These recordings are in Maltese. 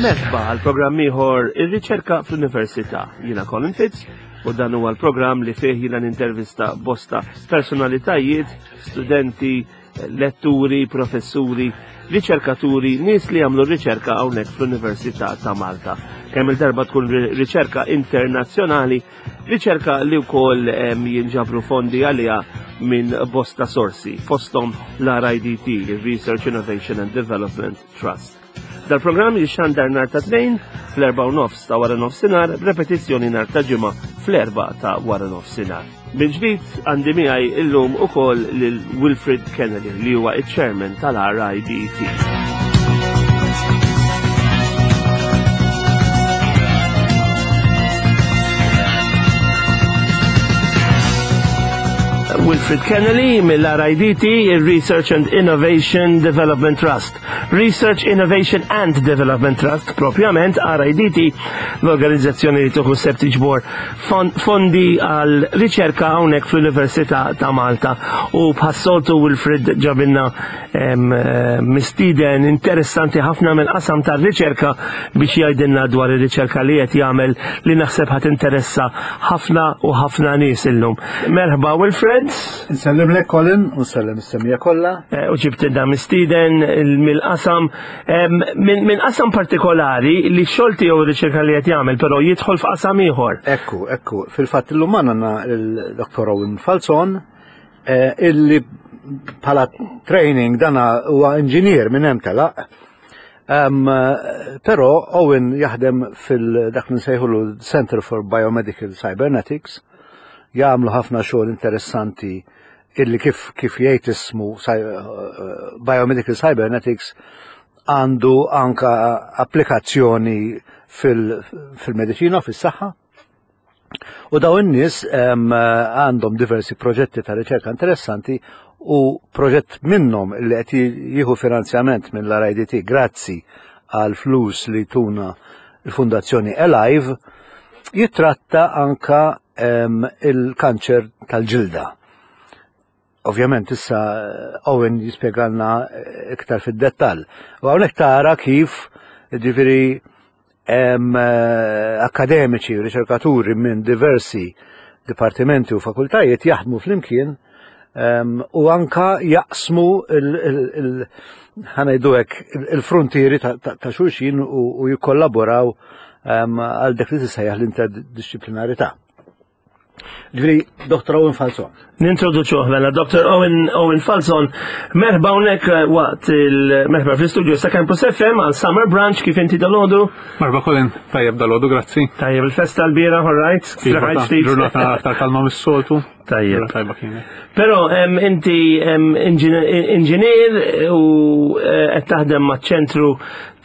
Merħba għal programm ieħor ir-riċerka fl-Università. Jiena Colin Fitz u dan huwa l-programm li fih jiena nintervista bosta personalitajiet, studenti, letturi, professuri, riċerkaturi, nies li jagħmlu riċerka hawnhekk fl-Università ta' Malta. Kemm il-darba tkun riċerka internazzjonali, riċerka li wkoll jinġabru fondi għaliha minn bosta sorsi, fosthom l-RIDT, Research Innovation and Development Trust. Dal-programm jixxandar nar ta' tnejn fl-erba' u nofs ta' wara nofsinhar, b'repetizzjoni nar ta' ġimgħa fl-erba' ta' wara nofsinhar. Mill-ġdid għandi miegħi illum ukoll lil Wilfred Kennedy li huwa iċ-chairman tal-RIDT. Wilfred Kennedy mill-RIDT, il-Research and Innovation Development Trust. Research Innovation and Development Trust, propjament RIDT, l-organizzazzjoni li tuħu sepp tiġbor fondi għal riċerka hawnhekk fl-Università ta' Malta. U bħas-soltu Wilfred ġabilna mistieden interessanti ħafna mill qasam tar-riċerka biex jgħidilna dwar ir-riċerka li qed jagħmel li naħseb ħadd interessa ħafna u ħafna nies illum. Merħba Wilfred. Nsellimlek Colin u nsellem is-semija kollha. Eh, u ġibtilna mistieden mill-qasam minn qasam partikolari li x-xogħol tiegħu riċerka li qed jagħmel, però jidħol f'qasam ieħor. Ekku, ekku, fil-fatt illum għandna l-Dr. Owen Falzon eh, illi bħala training dana huwa inġinier minn hemm telaq. Però Owen jaħdem fil-dak li nsejħulu Center for Biomedical Cybernetics, jagħmlu ħafna xogħol interessanti illi kif kif jgħid ismu eh, Biomedical Cybernetics għandu anka applikazzjoni fil-medicina, fis-saħħa. U daw in-nies għandhom diversi proġetti ta' riċerka interessanti u proġett minnhom li qed jieħu finanzjament minn l-RIDT grazzi għal flus li tuna l-Fundazzjoni Alive jitratta anka il-kanċer tal-ġilda. Ovvjament issa eh, Owen jispjegalna eh, iktar fid-dettall. U hawnhekk tara kif ġifieri eh, akademiċi u riċerkaturi minn diversi dipartimenti u fakultajiet jaħdmu flimkien u anka jaqsmu ħanajdu hekk il-frontieri ta' xulxin u jikkollaboraw għal dak li tisejjaħ l-interdisciplinarità. Ġifieri Dr. Owen Falzon. Nintroduċuh mela Dr. Owen, Owen Falzon. Merħba hawnhekk eh, waqt il-merħba fl-istudio sa' Campus FM għal Summer Branch kif inti dalodu. Merħba Colin, tajjeb dalodu, grazzi. Tajjeb il-festa l-bira, all right. Iva, ġurnata aktar kalma mis-soltu. Tajjeb. Tajba kienet. Però inti inġinier u eh, qed taħdem maċ-ċentru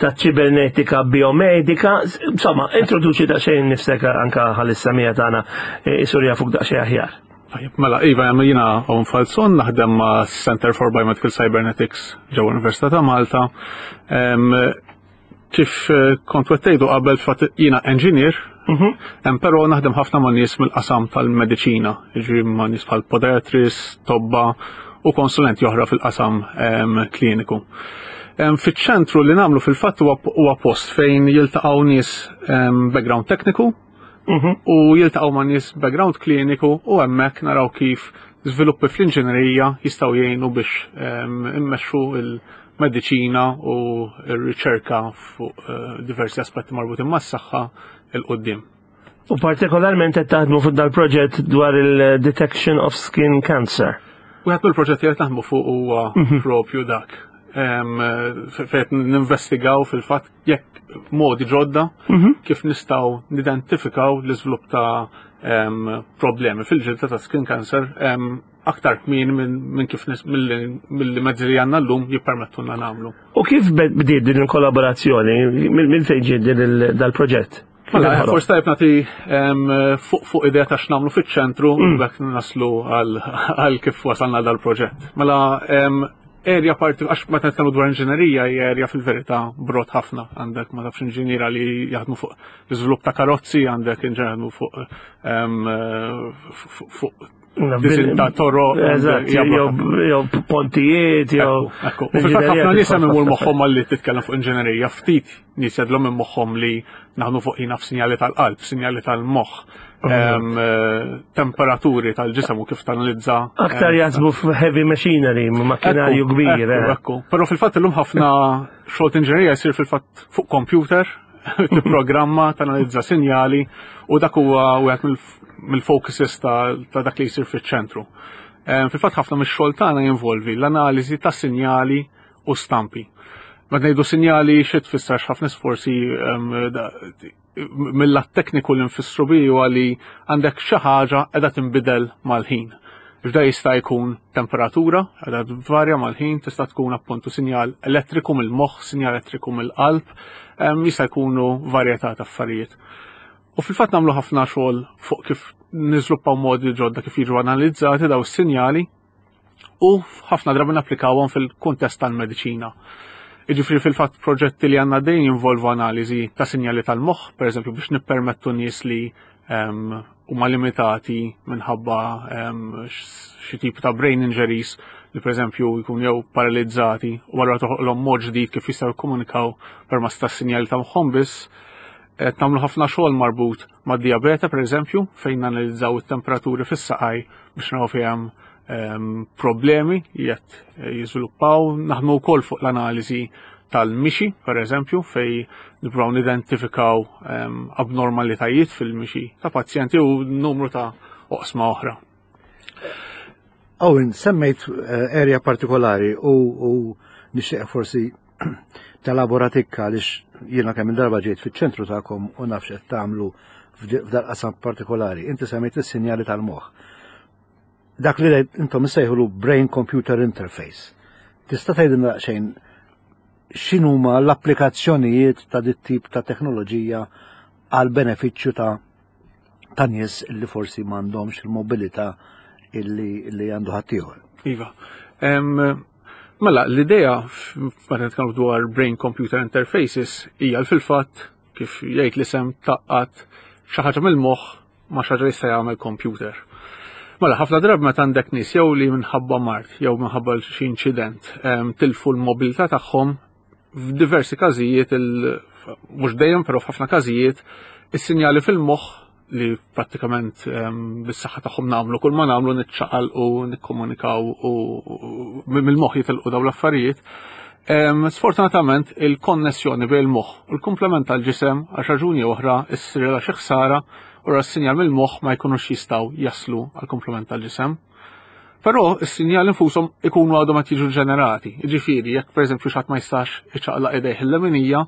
ta' ċibernetika biomedika. Insomma, introduċi da' xejn nifsek anka ħal-issamija tagħna eh, isurja fuq daqsxejn aħjar. Tajjeb, mela, Iva, jiena Owen Falzon, naħdem ma' Center for Biomedical Cybernetics ġewwa Università ta' Malta. Kif eh, kont wettejdu qabel fatt jiena engineer, mhm. però naħdem ħafna ma' nies mill-qasam tal-mediċina, jiġri ma' nies bħal podiatrist, tobba u konsulenti oħra fil-qasam kliniku. Fiċ-ċentru li nagħmlu fil-fatt huwa post fejn jiltaqgħu nies background tekniku. u jiltaqgħu ma' nies background kliniku u hemmhekk naraw kif żviluppi fl-inġinerija jistgħu jgħinu biex immexxu il-mediċina u r-riċerka fuq diversi aspetti marbutin mas-saħħa 'il quddiem. U partikolarment qed taħdmu fuq dal-proġett dwar il-detection of skin cancer. Wieħed mill-proġetti qed naħdmu fuq huwa propju dak. Fejn ninvestigaw fil-fatt jekk modi ġodda kif nistgħu nidentifikaw l-iżvilupp ta' problemi fil-ġilda ta' skin cancer aktar kmieni minn kif mill mezzi li għandna llum jippermettulna nagħmlu. U kif bdiet din il-kollaborazzjoni? Minn fejn ġiet din dal-proġett? Mela, forsi tajb nagħti fuq idea ta' x'nagħmlu fiċ-ċentru bekk naslu għal kif wasalna dal-proġett. Mela, area parti, għax meta nitkellmu dwar inġinerija hija area fil-verità brot ħafna. Għandek ma tafx inġiniera li jaħdmu fuq l-iżvilupp ta' karozzi, għandek inġiniera jaħdmu fuq Disin ta' toro. Eżatt, jew pontijiet, jew. Ekku, u fil-fatt ħafna nies hemm imur moħħhom għalli titkellem fuq inġinerija, ftit nies jadlhom minn moħħhom li naħdmu fuq jina f'sinjali tal-qalb, sinjali tal-moħħ, temperaturi tal-ġisem u kif tanalizza. Aktar jaħsbu f'heavy machinery, makkinarju kbir. Ekku, però fil-fatt illum ħafna xogħol inġinerija jsir fil-fatt fuq computer, tipprogramma, tanalizza sinjali u dak huwa wieħed mill-focuses ta' dak li jsir fiċ-ċentru. Fil-fatt ħafna mix-xogħol tagħna jinvolvi l-analiżi ta' sinjali u stampi. Meta ngħidu sinjali xi tfisser ħafna forsi mill-lat tekniku li nfissru bi huwa li għandek xi ħaġa qiegħda tinbidel mal-ħin. F'da jista' jkun temperatura, qiegħda tvarja mal-ħin, tista' tkun appuntu sinjal elettriku mill-moħħ, sinjal elettriku mill-qalb, jista' jkunu varjetà ta' affarijiet. U fil-fatt nagħmlu ħafna xogħol fuq kif niżluppaw modi ġodda kif jiġu analizzati daw is-sinjali u ħafna drabi napplikawhom fil-kuntest tal-mediċina. Jiġifieri fil-fatt proġetti li għandna dejjem jinvolvu analiżi ta' sinjali tal-moħħ, pereżempju biex nippermettu nies li huma limitati minħabba xi tip ta' brain injuries li pereżempju jkunu jew paralizzati u allura toħloqlhom mod ġdid kif jistgħu jikkomunikaw permezz tas-sinjali ta' moħħhom biss. Qed nagħmlu ħafna xogħol marbut mad-dijabete pereżempju fejn nanalizzaw it-temperaturi fis-saqaj biex naraw fejn hemm problemi li qed jiżviluppaw. Naħdmu wkoll fuq l-analiżi tal-mixi, per eżempju, fej nippruvaw nidentifikaw abnormalitajiet fil-mixi ta' pazjenti u numru ta' oqsma oħra. Owen, semmejt area partikolari u nixtieq forsi telabora tikka għaliex jiena kemm il-darba ġejt fiċ-ċentru tagħkom u nafx qed tagħmlu f'dal-qasam partikolari. Inti semmejt is-sinjali tal-moħħ. Dak li intom issejħulu brain computer interface. Tista' tgħidilna daqsxejn x'inhuma l-applikazzjonijiet ta' dit tip ta' teknoloġija għal benefiċċju ta' ta' nies li forsi m'għandhomx il-mobilità illi għandu ħaddieħor. Iva. Mela, l-idea meta nitkellmu dwar brain computer interfaces hija fil-fatt kif jgħid l-isem taqqat xi ħaġa mill-moħħ ma' xi ħaġa li jista' jagħmel computer. Mela, ħafna drabi meta għandek nies jew li minħabba mard jew minħabba xi inċident tilfu l-mobilità tagħhom f'diversi każijiet mhux dejjem però f'ħafna każijiet is-sinjali fil-moħħ li prattikament bis-saħħa tagħhom nagħmlu kull ma nagħmlu niċċaqal u nikkomunikaw u mill-moħħ jitilqu dawn l-affarijiet. Sfortunatament il-konnessjoni bejn il-moħħ u l-komplement tal-ġisem għal raġuni oħra issirha xi ħsara u s-sinjal mill-moħħ ma jkunux jistgħu jaslu għal komplement tal-ġisem. Però s-sinjali nfushom ikunu għadhom qed jiġu ġenerati. Jiġifieri jekk pereżempju xi ħadd ma jistax iċaqlaq idejh il-leminija,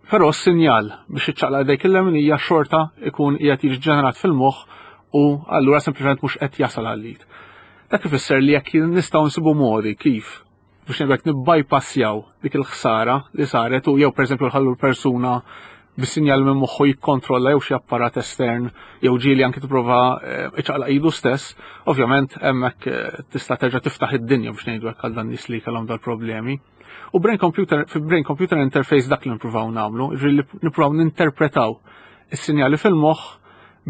Però s-sinjal biex iċċaqlaq idejk il-leminija xorta ikun qiegħed jiġi ġenerat fil-moħħ u allura sempliċement mhux qed jasal għall-id. Dak ifisser li jekk nistgħu nsibu modi kif biex ngħidlek nibbypassjaw dik il-ħsara li saret u jew pereżempju nħallu l-persuna bis-sinjal minn moħħu jikkontrolla jew xi apparat estern jew ġieli anki tipprova eh, iċaqlaq idu stess, ovvjament hemmhekk eh, tista' terġa' tiftaħ id-dinja biex ngħidu hekk għal dan nies li kellhom dal-problemi. U brain computer, fi brain computer interface dak li nippruvaw nagħmlu, ġifieri nippruvaw ninterpretaw is-sinjali fil-moħħ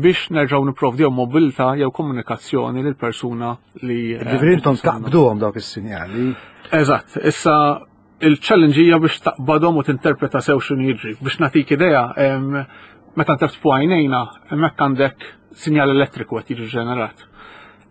biex nerġgħu nipprovdi jew mobilità jew komunikazzjoni lil persuna li. Eh, ġifieri intom taqbduhom dawk is-sinjali. Eżatt, issa il-challenge hija biex taqbadhom u tinterpreta sew x'inhu jiġri. Biex nagħtik idea, Meta ntebtbu għajnejna, hemmhekk għandek sinjal elettriku qed jiġi ġenerat.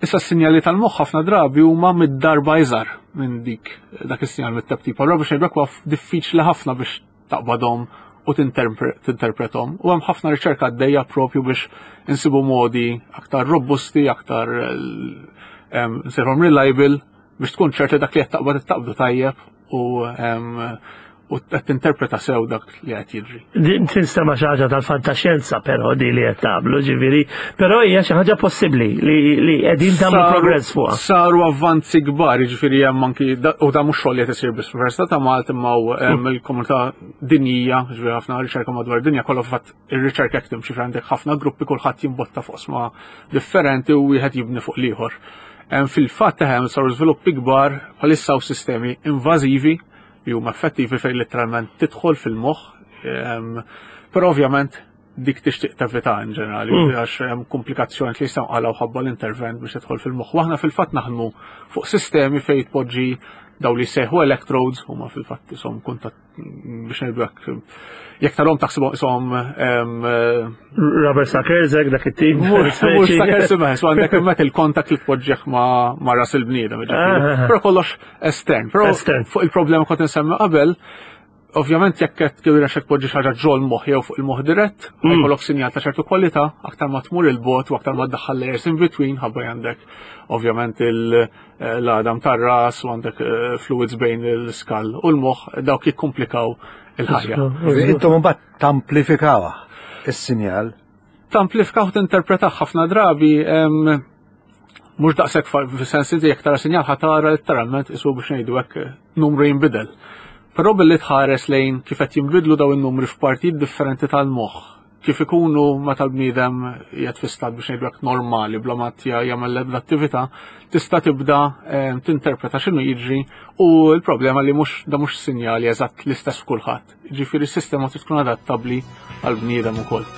Issa s-sinjali tal-moħħ ħafna drabi huma mid-darba iżgħar minn dik dak is-sinjal mit-teptip. Allura biex ngħidlek huwa diffiċli ħafna biex taqbadhom u tinterpretom. U hemm ħafna riċerka għaddejja propju biex insibu modi aktar robusti, aktar nsejħhom reliable biex tkun ċert li dak li qed taqbad taqbdu tajjeb u u qed tinterpreta sew dak li qed jiġri. Din tinstema' xi ħaġa tal-fantaxjenza però di li qed tagħmlu, ġifieri, però hija xi ħaġa possibbli li qegħdin tagħmlu progress fuqha. Saru avvanzi kbar, jiġifieri hemm anki u da mhux xogħol li qed isir biss fl-Università ta' Malta imma hemm mm. il-komunità dinjija, ġifieri ħafna riċerka madwar id-dinja kollha fatt ir-riċerka qed timxi għandek ħafna gruppi kulħadd jimbotta fuq sma differenti u wieħed jibni fuq l-ieħor. Fil-fatt hemm saru żviluppi kbar bħalissa u sistemi invażivi li huma effettivi fejn letteralment tidħol fil-moħħ. Ehm, però ovvjament dik tixtieq tevita in ġenerali, mm. għax hemm komplikazzjoni li jistgħu qalgħu ħabba l-intervent biex tidħol fil-moħħ. Waħna fil-fatt naħdmu fuq sistemi fejn tpoġġi daw li jsejħu electrodes huma fil-fatt isom kuntatt biex ngħidu hekk jekk tarhom taħsibhom ishom rubber suckers hekk dak it-tip. Mhux suckers imma so għandek hemmhekk il-contact li tpoġġih ma' ras il-bniedem. Ah. Però kollox estern. Però fuq il-problema kont insemmi qabel, ovvjament jekk qed kif irnexxek tpoġġi xi ħaġa ġol moħħ jew fuq il-moħħ dirett, mm. jkollok sinjal ta' ċertu kwalità, aktar ma tmur il-bot u aktar ma ddaħħal layers in between ħabba għandek ovvjament eh, l-għadam tar-ras u għandek eh, fluids bejn il-skall u l-moħħ dawk jikkomplikaw il-ħajja. Intom mbagħad tamplifikawha is-sinjal. Tamplifikaw tinterpretaw ħafna drabi mhux daqshekk fis-sens inti jekk tara sinjal ħa tara letteralment isu biex ngħidu hekk numru jinbidel. Però billi tħares lejn kif qed jinbidlu daw in-numri f'partijiet differenti tal-moħħ, kif ikunu meta l-bniedem qiegħed fi stat biex ngħidu hekk normali bla ma jagħmel l-ebda attività, tista' tibda eh, tinterpreta x'inhu jiġri u l-problema li mhux da mhux sinjali eżatt l-istess f'kulħadd. Ġifieri s-sistema trid tkun adattabbli għall-bniedem ukoll.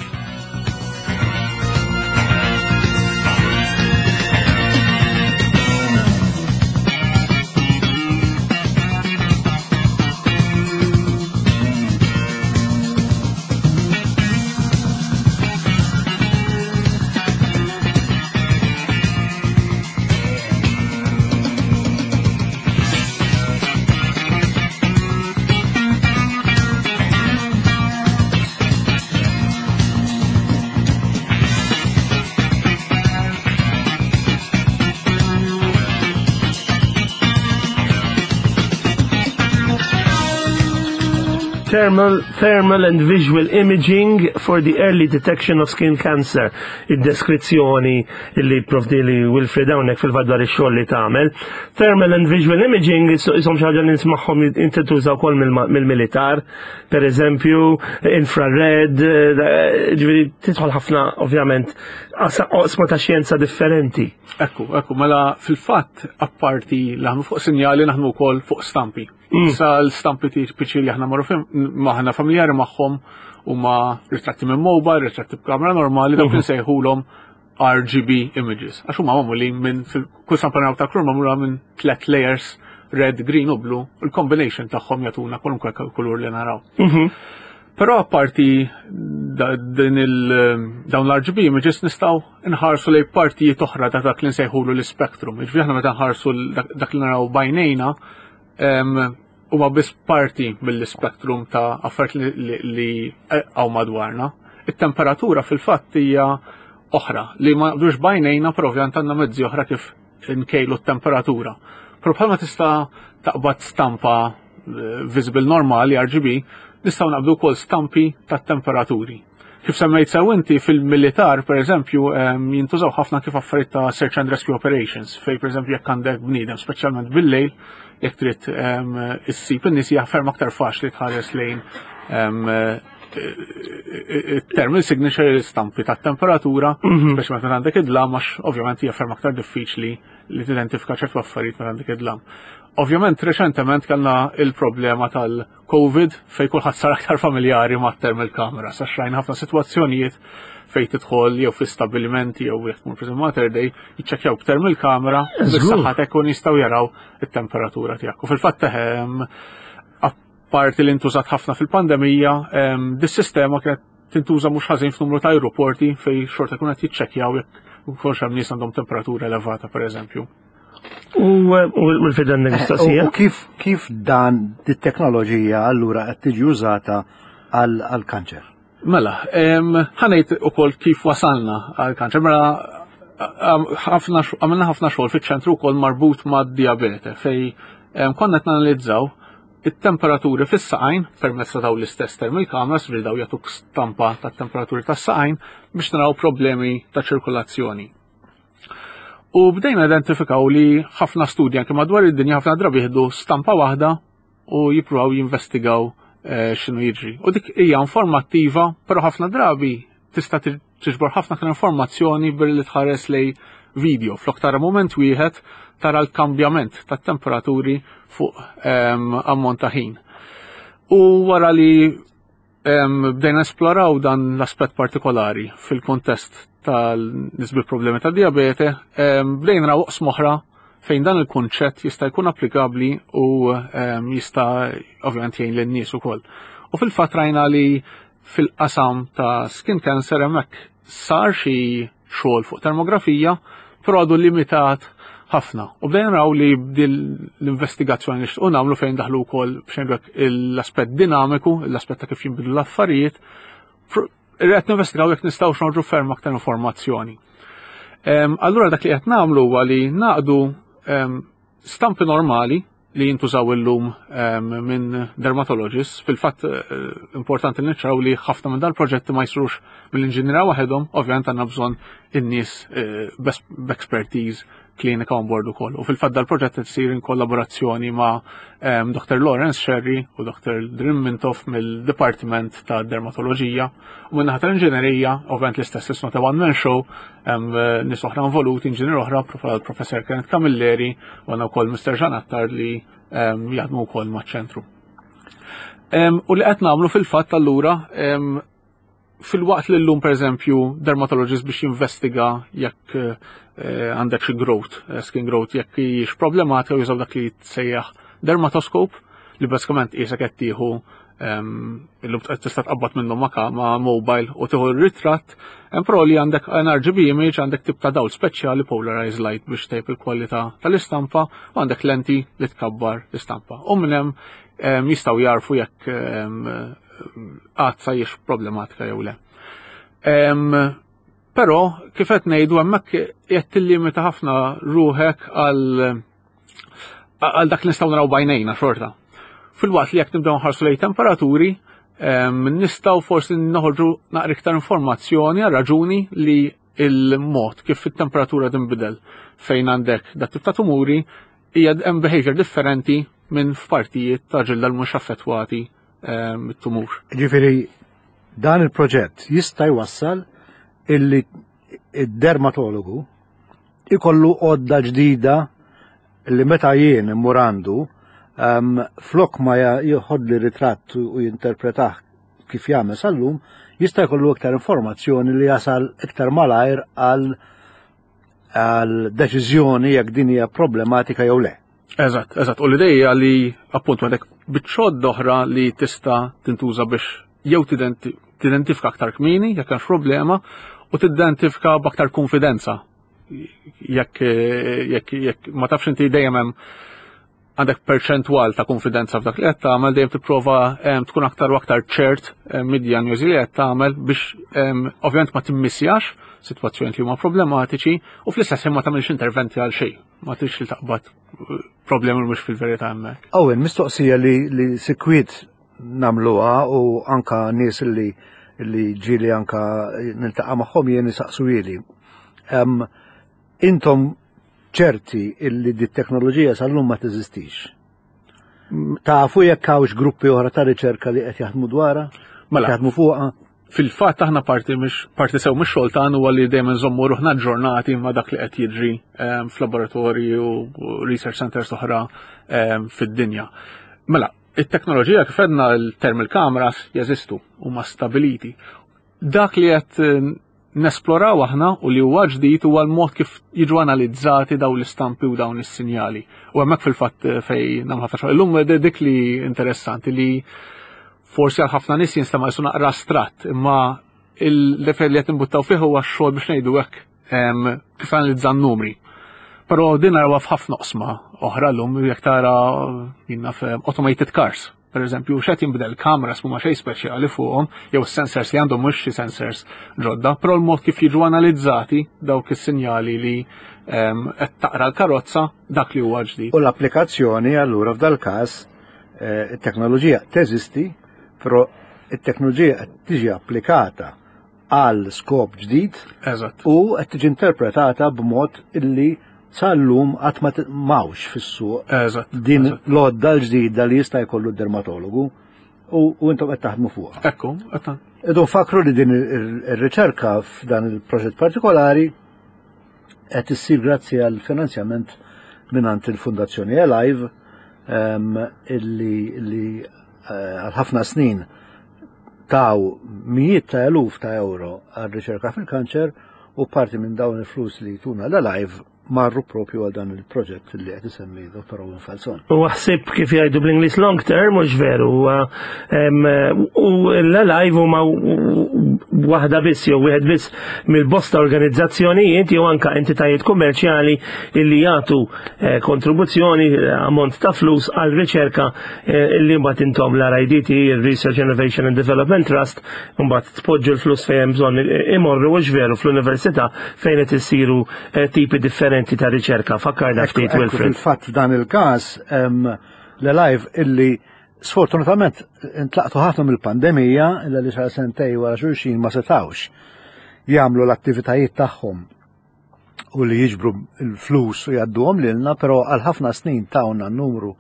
Thermal, thermal and visual imaging for the early detection of skin cancer. Id-deskrizzjoni li provdili Wilfred hawnhekk fil-fatt dwar ix-xogħol li tagħmel. Thermal and visual imaging isom xi ħaġa li nismagħhom inti tuża wkoll mill-militar, per eżempju, infrared, eh, ġifieri tidħol ħafna ovvjament oqsma ta' xjenza differenti. Ekku, ekku, mela fil-fatt apparti li naħdmu fuq sinjali naħdmu wkoll fuq stampi. Mm. Sa l-stampi tipiċi li aħna marru maħna familjari magħhom huma ritratti minn mobile, ritratti b'kamera normali, dawk mhm. insejħulhom RGB images. Għax huma magħmulin minn kull stampa naraw ta' kulur magħmula minn tlet layers red, green u blue, il-combination tagħhom jagħtuna kwalunkwe kulur li naraw. Mhm. Però apparti din il dawn l-RGB images nistgħu nħarsu lejn partijiet oħra ta' dak li nsejħulu l-spectrum. Jiġifieri aħna meta nħarsu dak li naraw bajnejna huma biss parti mill-spektrum ta' affarijiet li hawn madwarna. It-temperatura fil-fatt hija oħra li ma naqdux bajnejna però ovvjament għandna mezzi oħra kif nkejlu t-temperatura. Però bħalma tista' taqbad stampa eh, visible normali RGB, nistgħu naqbdu wkoll stampi tat-temperaturi. Kif semmejt sew inti fil-militar, per eżempju, jintużaw ħafna kif affarijiet ta' search and rescue operations, fej per eżempju jekk għandek bniedem, speċjalment bil-lejl, jekk trid issib in-nies hija ferm aktar faċli tħares lejn thermal signature l-istampi ta' temperatura, mhm. speċjalment meta għandek id-dlam, għax ovvjament hija ferm aktar diffiċli li tidentifika ċertu affarijiet meta għandek id-dlam. Ovvjament reċentement kellna il-problema tal- Covid fejn kulħadd sar aktar familjari ma' thermal camera, sa xrajn ħafna sitwazzjonijiet fejn tidħol jew fi stabilimenti jew jekk tmur pereżempju Mater Dei, jiċċekkjaw b'thermal camera bis-saħħa ikun jistgħu jaraw it-temperatura tiegħek. U fil-fatt ehm, apparti li ntużat ħafna fil-pandemija, ehm, dis-sistema kienet tintuża mhux ħażin f'numru ta' aeroporti fejn xorta jkun qed jiċċekkjaw jekk ukoll hemm nies għandhom temperatura elevata pereżempju. U l-fidan mistoqsija. U kif kif dan dit-teknoloġija allura qed tiġi użata għall-kanċer? Mela, ħanejt ukoll kif wasalna għall-kanċer. Mela għamilna ħafna xogħol fiċ-ċentru wkoll marbut mad-diabete fej konna qed nanalizzaw it-temperaturi fis-saqajn permezz ta' dawn l-istess thermal cameras li daw jagħtuk stampa tat-temperaturi tas-saqajn biex naraw problemi ta' ċirkulazzjoni. U bdejna identifikaw li ħafna studji anke madwar id-dinja ħafna drabi jieħdu stampa waħda u jippruvaw jinvestigaw eh, x'inhu jiġri. U dik hija informattiva, però ħafna drabi tista' tiġbor ħafna aktar informazzjoni billi tħares lej video. Flok tara moment wieħed tara l-kambjament tat-temperaturi fuq ehm, ammont ta' ħin. U wara li Bdejna esploraw dan l-aspett partikolari fil-kontest tal-nies bi problemi ta' diabete, bdejna naraw oqsma oħra fejn dan il-kunċett jista' jkun applikabbli u jista' ovvjament jgħin lin-nies ukoll. U fil-fatt rajna li fil-qasam ta' skin cancer hemmhekk sar xi xogħol fuq termografija, però għadu limitat ħafna. U bdejna naraw li l-investigazzjoni li xtqu nagħmlu fejn daħlu wkoll b'xejn l-aspett dinamiku, l-aspett ta' kif jinbidlu l-affarijiet, qed ninvestigaw jekk nistgħux noħorġu ferm aktar informazzjoni. Allura dak li qed nagħmlu huwa li naqdu stampi normali li jintużaw illum ehm, minn dermatologists. Fil-fatt eh, importanti li niċċaraw li ħafna minn dal-proġetti ma jsirux mill-inġiniera waħedhom, ovvjament għandna bżonn in-nies eh, b'expertise klinika on board ukoll. U fil-fatt dal-proġett qed isir in kollaborazzjoni ma' ehm, Dr. Lawrence Sherry u Dr. Drim Mintoff mill-Dipartiment ta' Dermatoloġija. U minn naħa tal-inġinerija, ovvjament l-istess is not a one man show, Hemm eh, nies oħra involuti, inġinier oħra, professor Kenneth Camilleri, u għandna wkoll Mr. Jean Attard li ehm, jaħdmu wkoll maċ-ċentru. Ehm, u li qed nagħmlu fil-fatt allura ehm, fil-waqt li llum pereżempju dermatologist biex jinvestiga jekk eh, għandek xi growth, eh, skin growth, jekk hijiex problematika jużaw dak li jitsejjaħ dermatoscope li basikament qisek qed tieħu illum tista' tqabbad minnhom ma' ma' mobile u tieħu r-ritratt, hemm pro li għandek an RGB image għandek tip ta' dawl speċjali polarized light biex tejb il-kwalità tal-istampa u għandek lenti li tkabbar l-istampa. U minn hemm jistgħu jarfu jekk għadsa jiex problematika jew le. Però kif qed ngħidu hemmhekk qed tillimita ħafna ruħek għal għal dak li nistgħu naraw bajnejna xorta. Fil-waqt li jekk nibdew nħarsu lejn temperaturi, nistgħu forsi noħorġu naqra iktar informazzjoni għal raġuni li il-mod kif it-temperatura tinbidel fejn għandek dat tip ta' tumuri hija hemm behavior differenti minn f'partijiet ta' ġilda l mhux affettwati mit-tumur. Ġifieri dan il-proġett jista' jwassal illi id-dermatologu ikollu għodda ġdida li meta jien immur għandu um, flok ma jħodli ritratt u jinterpretah kif jagħmel sal-lum, jista' jkollu iktar informazzjoni li jasal iktar malajr għal għal deċiżjoni jekk din hija problematika jew le. Eżatt, eżatt. U l-ideja li appunt għandek biċċod oħra li tista' tintuża biex jew tidentifika aktar kmieni jekk hemm problema u tidentifika b'aktar konfidenza jekk jekk jekk ma tafx inti dejjem hemm għandek perċentwal ta' konfidenza f'dak li qed tagħmel dejjem tipprova tkun aktar u aktar ċert mid-dijanjosi li qed tagħmel biex ovvjament ma timmissjax sitwazzjoni li huma problematiċi u fl-istess ħin ma tagħmilx interventi għal xejn, ma tridx li taqbad eh, problemi mhux fil-verità hemmhekk. Owen, mistoqsija li, li sikwit nagħmluha u anka nies li li ġieli anka niltaqa' magħhom jien isaqsuhieli. Intom ċerti illi di teknoloġija sal-lum ma teżistix. Tafu jekk hawnx gruppi oħra ta' riċerka li qed jaħdmu dwarha? Mela. Jaħdmu fuqha? Fil-fatt aħna parti mhix parti sew mix-xogħol tagħna huwa li dejjem nżommu ruħna ġġornati ma' dak li qed jiġri f'laboratorji u research centers oħra fid-dinja. Mela, it-teknoloġija kif għedna l-thermal cameras jeżistu huma stabiliti. Dak li qed eh, nesploraw aħna u li huwa ġdid huwa l-mod kif jiġu analizzati dawn l-istampi u dawn is-sinjali. U hemmhekk fil-fatt eh, fej nagħmlu ħafna xogħol. Illum eh, dik li interessanti li forsi għal ħafna nies jinstema' jisu naqra astratt, imma Il-level li qed nimbuttaw fih huwa x-xogħol biex ngħidu hekk kif analizza n-numri. Però din narawha f'ħafna oqsma oħra llum jekk tara jien naf automated cars. Per eżempju, x'qed jinbidel kameras mhuma xejn speċjali fuqhom, jew sensors li għandhom mhux xi sensors ġodda, però l-mod kif jiġu analizzati dawk is-sinjali li qed taqra l-karozza dak li huwa ġdid. U l-applikazzjoni allura f'dal-każ eh, it-teknoloġija teżisti, però it-teknoloġija qed tiġi applikata għal skop ġdid u qed tiġi interpretata b'mod illi sal-lum qatt ma mawx fis-suq din l-għodda l-ġdida li jista' jkollu d-dermatologu u intom qed taħdmu fuqha. Ekku, qed Idu nfakru li din ir-riċerka f'dan il-proġett partikolari qed issir grazzi għal finanzjament mingħand il-Fundazzjoni Alive ehm, illi li eh, għal ħafna snin taw mijiet ta' eluf ta' euro għal riċerka fil-kanċer u parti minn dawn il-flus li tuna l-Alive marru propju għal dan il-proġett li qed isemmi Dr. Owen Falzon. U ħsib kif jgħidu bl-Ingliż long term mhux veru. U l-Alive huma waħda biss jew wieħed biss mill-bosta organizzazzjonijiet jew anka entitajiet kummerċjali illi jagħtu eh, kontribuzzjoni eh, ammont ta' flus għal riċerka eh, illi mbagħad intom l-RIDT, il-Research Innovation and Development Trust, mbagħad tpoġġu l-flus fejn hemm bżonn imorru mhux veru fl-università fejn qed isiru tipi differenti ta' riċerka. Fakkarna ftit Wilfred. Fil-fatt f'dan il-każ l-live illi sfortunatament intlaqtu ħafna mill-pandemija illa li xar sentej wara xulxin ma setawx jagħmlu l-attivitajiet tagħhom u li jiġbru l-flus u jgħadduhom lilna, però għal ħafna snin tawna numru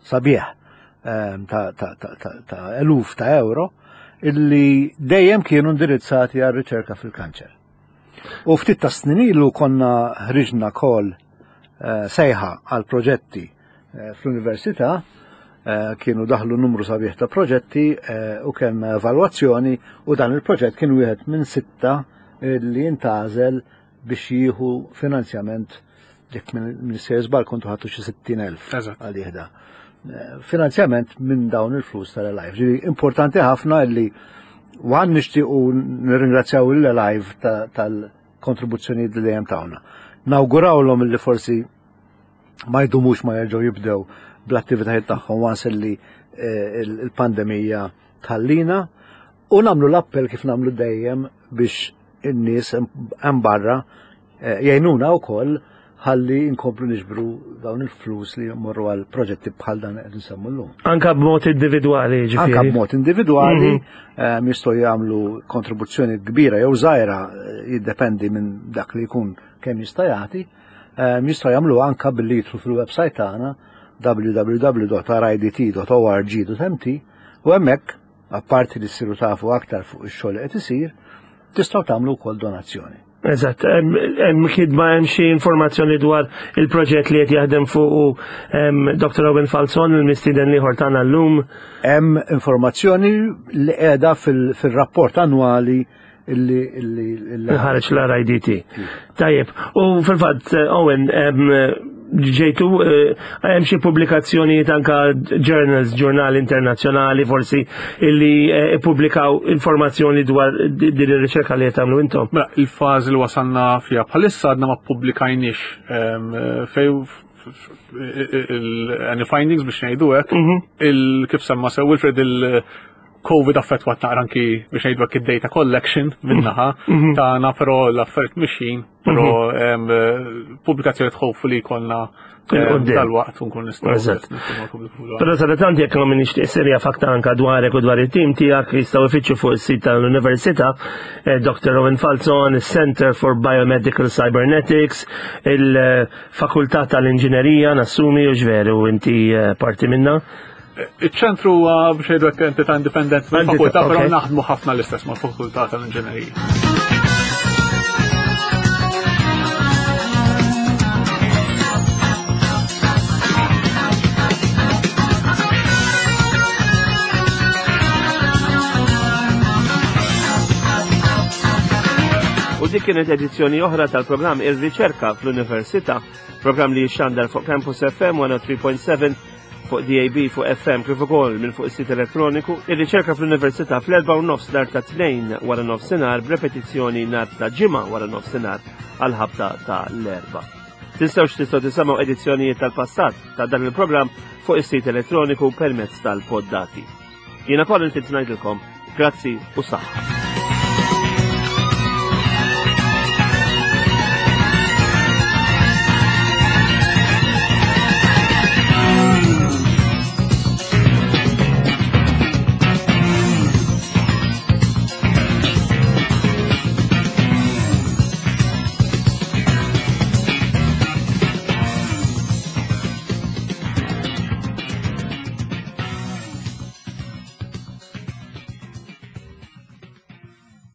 sabiħ ehm, ta' eluf ta' euro illi dejjem kienu indirizzati għal riċerka fil-kanċer. U ftit ta' snin ilu konna ħriġna kol eh, sejħa għal proġetti eh, fl-università, eh, kienu daħlu numru sabiħ ta' proġetti u kellna evalwazzjoni u dan il-proġett kien wieħed minn sitta li jintgħażel biex jieħu finanzjament jekk minn sejjer żball kontu ħadtu xi 60,000 għal jieħda. Finanzjament minn dawn il-flus tal-Alive. Ġifieri importanti ħafna li għan nixtiequ nirringrazzjaw il-Alive tal-kontribuzzjonijiet li dejjem tawna. Nawgurawlhom li forsi ma jdumux ma jerġgħu jibdew bl-attivitajiet tagħhom once li eh, il-pandemija tħallina u nagħmlu l-appell kif nagħmlu dejjem biex in-nies hemm barra eh, jgħinuna wkoll ħalli nkomplu niġbru dawn il-flus li jmorru għal proġetti bħal dan qed nsemmu llum. Anka b'mod individwali, ġifieri. Anka b'mod individwali mm -hmm. jistgħu jagħmlu kontribuzzjoni kbira jew żgħira eh, jiddependi minn dak li jkun kemm jista' jagħti. Jistgħu jagħmlu anka billi jidħlu fil-website tagħna www.ridt.org.mt u hemmhekk apparti li ssiru tafu aktar fuq ix-xogħol li qed isir, tistgħu tagħmlu wkoll donazzjoni. Eżatt, hemm kidba hemm xi informazzjoni dwar il-proġett li qed jaħdem fuq Dr. Owen Falzon, il-mistieden ieħor tagħna llum. Hemm informazzjoni li qiegħda fil-rapport annwali illi ħareġ l-RIDT. Tajjeb, u fil-fatt Owen, ġejtu eh, hemm xi pubblikazzjonijiet anka journals, ġurnali internazzjonali forsi illi eh, ippubblikaw informazzjoni dwar din ir-riċerka li qed tagħmlu intom. Mela, il-fażi li wasalna fiha bħalissa għadna ma ppubblikajniex fej any findings biex ngħidu hekk, mhm. kif semma sew Wilfred il- Covid affettwat naqra anki biex ngħidu hekk id-data collection minnaħa mhm. tagħna però l-affarijiet mixjin, però mhm. pubblikazzjoni tħofu li jkollna dal-waqt unkun nistgħu. Però sadattant jekk ma minix serja fakta anka dwarek u dwar it-tim tiegħek jistgħu ifittxu fuq is-sit tal-Università eh, Dr. Owen Falzon, is-Center for Biomedical Cybernetics, il-Fakultà tal-Inġinerija nassumi u ġveru inti eh, parti minna. Iċ-ċentru huwa biex ngħidu hekk entità indipendenti mill-fakultà, però naħdmu ħafna l-istess mal-fakultà tal-inġinerija. U dik kienet edizzjoni oħra tal-programm Ir-Riċerka fl-Università, programm li jixxandar fuq Campus FM 103.7. fuq DAB, fuq FM, kif ukoll minn fuq is-sit elettroniku, ir-riċerka fl-Università fl-erba' u nofs nhar ta' Tnejn wara nofsinhar b'repetizzjoni nhar ta' Ġimgħa wara nofsinhar għall-ħabta ta' l-erba'. Tinsewx tistgħu tisimgħu edizzjonijiet tal-passat ta' dan il-programm fuq is-sit elettroniku permezz tal-poddati. Jiena Colin Fitz ngħidilkom grazzi u saħħa.